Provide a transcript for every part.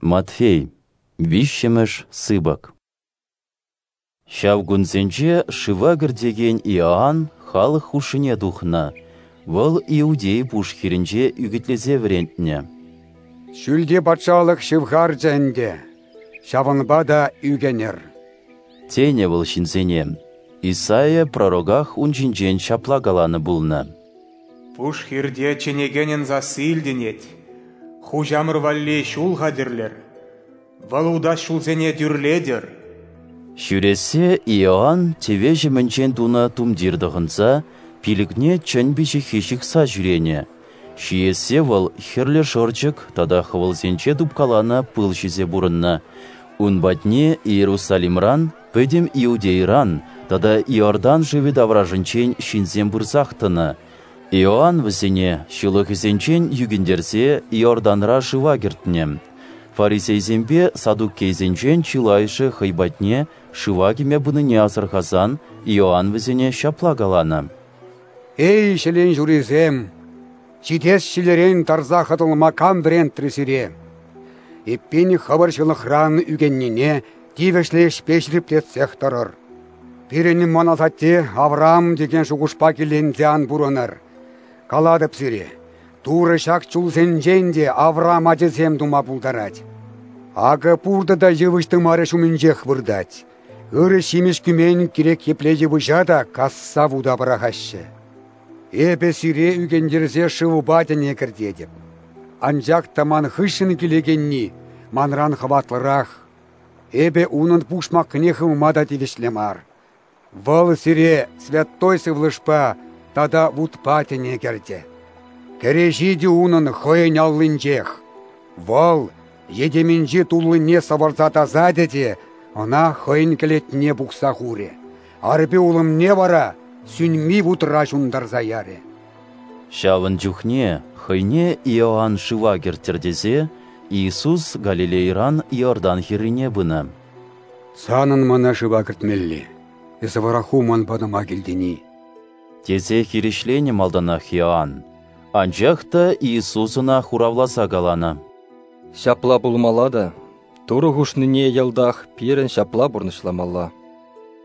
Матфей, виҫҫӗмӗш сыпӑк. Ҫав кунсенче шыва кӗртекен Иоанн халӑх хушшине тухнӑ. Вӑл Иудей пуш хирӗнче ӳкӗтлесе вӗрентнӗ. Ҫӳлти патшалӑх ҫывхарчӗ ӗнтӗ, ҫавӑнпа та ӳкӗнӗр. Тенӗ вӑл ҫынсене. Исаия пророках ун ҫинчен ҫапла каланӑ пулнӑ. Пуш хирте чӗнекенӗн сасси илтӗнет. Хуҫамӑр валли ҫул хатӗрлӗр. Вӑл утас ҫулсене тӳрлетӗр. Ҫӳрессе Иоанн тӗве ҫӑмӗнчен тунӑ тумтир тӑхӑнса, пилӗкне чӗн пиҫиххи ҫыхса ҫӳренӗ. Ҫиессе вӑл хӗрлӗ шӑрчӑк тата хӑвӑлсенче тупкаланӑ пыл ҫисе пурӑннӑ. Ун патне Иерусалимран, пӗтӗм Иудейӑран тата Иордан шывӗ таврашӗнчен ҫынсем пырсах тӑнӑ. Иоанн вӗсене ҫылӑхӗсенчен ӳкӗнтерсе Иорданра шыва кӗртнӗ. Фарисейсемпе саддукейсенчен чылайӑшӗ хӑй патне шыва кӗме пынине асӑрхасан Иоанн вӗсене ҫапла каланӑ: «Эй, ҫӗлен ҫурисем, ҫитес ҫилӗрен тарса хӑтӑлма кам вӗрентрӗ сире? Эппин, хӑвӑр ҫылӑхран ӳкӗннине тивӗҫлӗ ӗҫпе ҫирӗплетсех тӑрӑр. Пирӗн мӑн асатте Авраам текен шухӑшпа киленсе ан пурӑнӑр. Калатӑп сире, Турӑ ҫак чулсенчен те Авраам ачисем тума пултарать. Акӑ пуртӑ та йывӑҫ тымарӗ ҫумӗнчех выртать. Ырӑ ҫимӗҫ кӳмен кирек епле йывӑҫа та касса вута пӑрахаҫҫӗ. Эпӗ сире ӳкӗнтерсе шывпа тӗне кӗртетӗп. Анчах та ман хыҫҫӑн килекенни манран хӑватлӑрах. Эпӗ унӑн пушмакне хывма та тивӗҫлӗ мар. Вӑл сире Святой Сывлӑшпа тата вутпа тӗне кӗртӗ. Кӗреҫи те унӑн хӑйӗн аллинчех. Вӑл йӗтемӗнчи туллине сӑвӑрса тасатӗ те ӑна хӑйӗн кӗлетне пухса хурӗ. Арпи улӑмне вара сӳнми вутра ҫунтарса ярӗ. Ҫавӑн чухне хӑйне Иоанн шыва кӗрттӗр тесе Иисус Галилейӑран Иордан хӗррине пынӑ. «Санӑн мана шыва кӗртмелле, эсӗ вара ху ман патӑма килтӗн-и?» тесе хирӗҫленӗ малтанах Иоанн. Анчах та Иисус ӑна хуравласа каланӑ: «Ҫапла пулмалла та, Турӑ хушнине йӑлтах пирӗн ҫапла пурнӑҫламалла».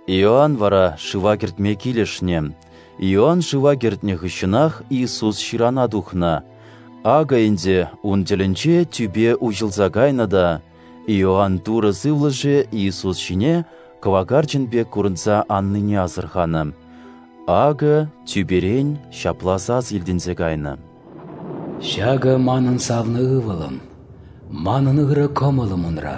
Иоанн вара шыва кӗртме килӗшнӗ. Иоанн шыва кӗртнӗ хыҫҫӑнах Иисус ҫырана тухнӑ. Акӑ ӗнтӗ ун тӗлӗнче тӳпе уҫӑлса кайнӑ та, Иоанн Турӑ Сывлӑшӗ Иисус ҫине кӑвакарчӑн пек курӑнса аннине асӑрханӑ. Акӑ тӳперен ҫапла сас илтӗнсе кайнӑ: «Ҫакӑ манӑн савнӑ ывӑлӑм, манӑн ырӑ кӑмӑлӑм унра».